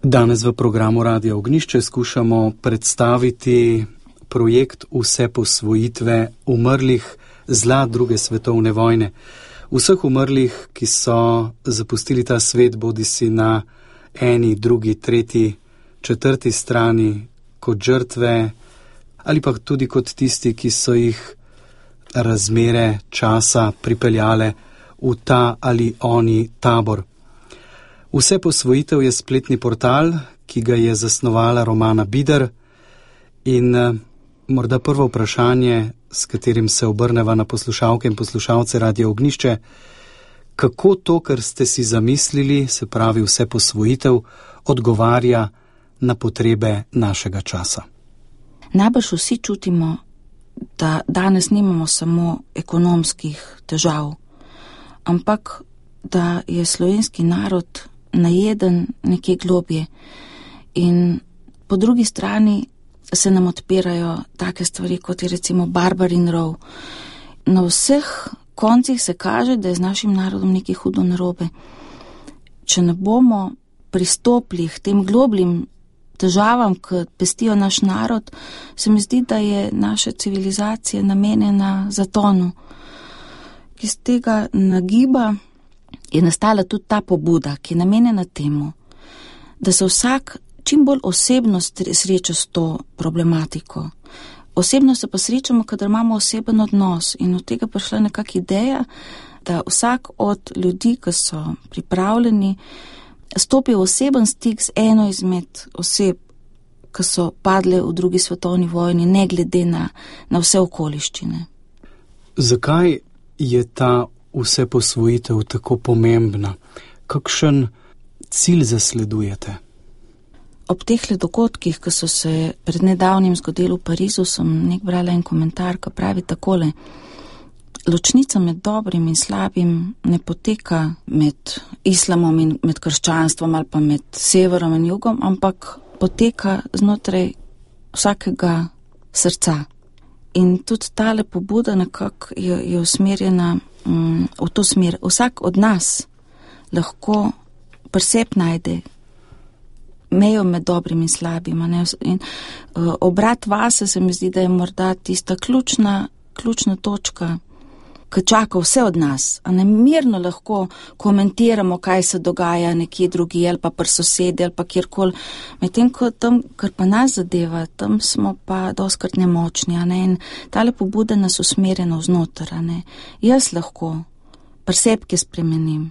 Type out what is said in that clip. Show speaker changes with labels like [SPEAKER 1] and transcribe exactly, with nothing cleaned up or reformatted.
[SPEAKER 1] Danes v programu Radia Ognjišče skušamo predstaviti projekt vse posvojitve umrlih zla druge svetovne vojne. Vseh umrlih, ki so zapustili ta svet, bodisi na eni, drugi, tretji, četrti strani, kot žrtve, ali pa tudi kot tisti, ki so jih razmere časa pripeljale v ta ali oni tabor. Vse posvojitev je spletni portal, ki ga je zasnovala Romana Bider, in uh, morda prvo vprašanje, s katerim se obrneva na poslušalke in poslušalce Radia Ognjišče, kako to, kar ste si zamislili, se pravi vse posvojitev, odgovarja na potrebe našega časa.
[SPEAKER 2] Najbrž vsi čutimo, da danes nimamo samo ekonomskih težav, ampak da je slovenski narod najeden nekje globje in po drugi strani se nam odpirajo take stvari, kot je recimo Barbarin rov. Na vseh koncih se kaže, da je z našim narodom nekaj hudo narobe. Če ne bomo pristopili k tem globljim težavam, ki pestijo naš narod, se mi zdi, da je naša civilizacija namenjena zatonu. Iz tega nagiba je nastala tudi ta pobuda, ki je namenjena temu, da se vsak čim bolj osebno sreča s to problematiko. Osebno se pa srečamo, kadar imamo oseben odnos, in od tega prišla nekak ideja, da vsak od ljudi, ki so pripravljeni, stopi v oseben stik z eno izmed oseb, ki so padle v drugi svetovni vojni, ne glede na, na vse okoliščine.
[SPEAKER 1] Zakaj je ta vse posvojitev tako pomembna? Kakšen cilj zasledujete?
[SPEAKER 2] Ob teh dogodkih, ki so se pred nedavnim zgodili v Parizu, sem nek brala en komentar, ki pravi takole: ločnica med dobrim in slabim ne poteka med islamom in med krščanstvom ali pa med severom in jugom, ampak poteka znotraj vsakega srca. In tudi tale pobuda nekako je, je usmerjena mm, v to smer. Vsak od nas lahko pri sebi najde mejo med dobrim in slabim. Ne? In uh, obrat vase se mi zdi, da je morda tista ključna, ključna točka, ki čaka vse od nas. A ne mirno lahko komentiramo, kaj se dogaja nekje drugi, ali pa pri sosedi, ali pa kjerkoli. Medtem, ko tam, kar pa nas zadeva, tam smo pa doskrat nemočni. A ne? In tale pobuda nas usmerja navznoter. Jaz lahko pri sebi spremenim.